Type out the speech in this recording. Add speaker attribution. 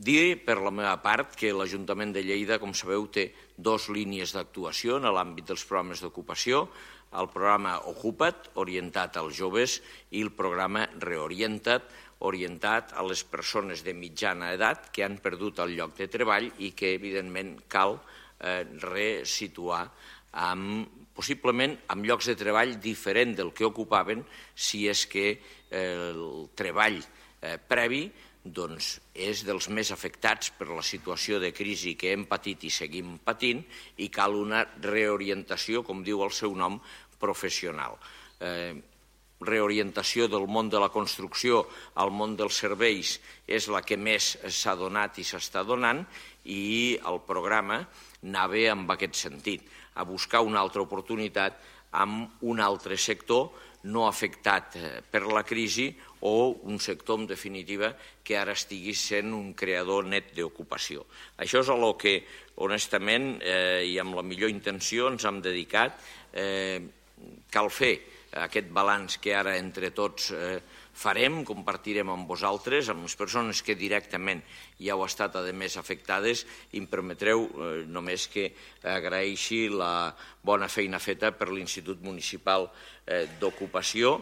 Speaker 1: Dir, per la meva part, que l'Ajuntament de Lleida, com sabeu, té dues línies d'actuació en l'àmbit dels programes d'ocupació, el programa Ocupa't, orientat als joves, i el programa Reorienta't, orientat a les persones de mitjana edat que han perdut el lloc de treball i que, evidentment, cal resituar possiblement amb llocs de treball diferent del que ocupaven si és que el treball previ és dels més afectats per la situació de crisi que hem patit i seguim patint i cal una reorientació, com diu el seu nom, professional. Reorientació del món de la construcció al món dels serveis és la que més s'ha donat i s'està donant i el programa anava en aquest sentit, a buscar una altra oportunitat amb un altre sector no afectat per la crisi o un sector, en definitiva, que ara estigui sent un creador net d'ocupació. Això és a lo que, honestament, i amb la millor intenció ens hem dedicat. Cal fer aquest balanç que ara entre tots farem, compartirem amb vosaltres, amb les persones que directament ja heu estat, a més, afectades, i em permetreu només que agraeixi la bona feina feta per l'Institut Municipal d'Ocupació,